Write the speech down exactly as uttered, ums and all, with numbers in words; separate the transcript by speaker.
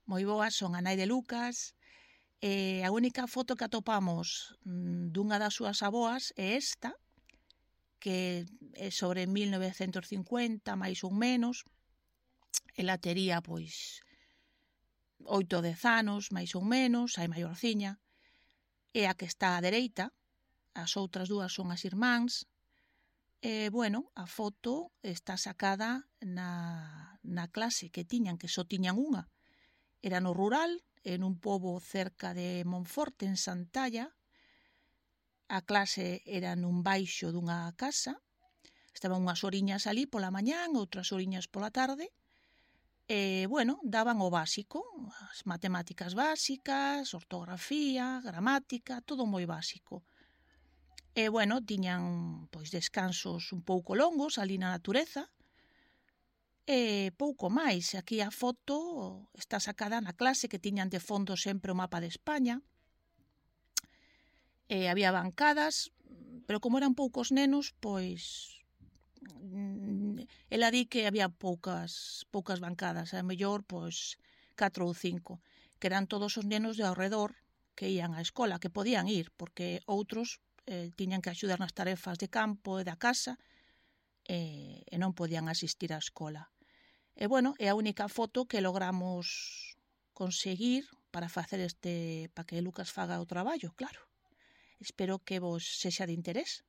Speaker 1: moi boas, son a nai de Lucas, e a única foto que atopamos dunha das súas aboas é esta, que é sobre mil novecentos cincuenta, máis ou menos. Ela tería, pois, oito ou dez anos, máis ou menos, hai maiorciña. E a que está á dereita, as outras dúas son as irmáns. E, bueno, a foto está sacada na, na clase que tiñan, que só tiñan unha. Era no rural, en un pobo cerca de Monforte, en Santalla. A clase era nun baixo dunha casa. Estaban unhas horiñas ali pola mañán, outras horiñas pola tarde. E, bueno, daban o básico, as matemáticas básicas, ortografía, gramática, todo moi básico. E, bueno, tiñan pois descansos un pouco longos ali na natureza. E pouco máis. Aquí a foto está sacada na clase, que tiñan de fondo sempre o mapa de España. E había bancadas, pero como eran poucos nenos, pois ela di que había poucas poucas bancadas, a mellor pois catro ou cinco, que eran todos os nenos de ao redor que ían á escola, que podían ir, porque outros eh, tiñan que axudar nas tarefas de campo e da casa e, e non podían asistir á escola. E, bueno, é a única foto que logramos conseguir para facer este, para que Lucas faga o traballo, claro. Espero que vos sexa de interés.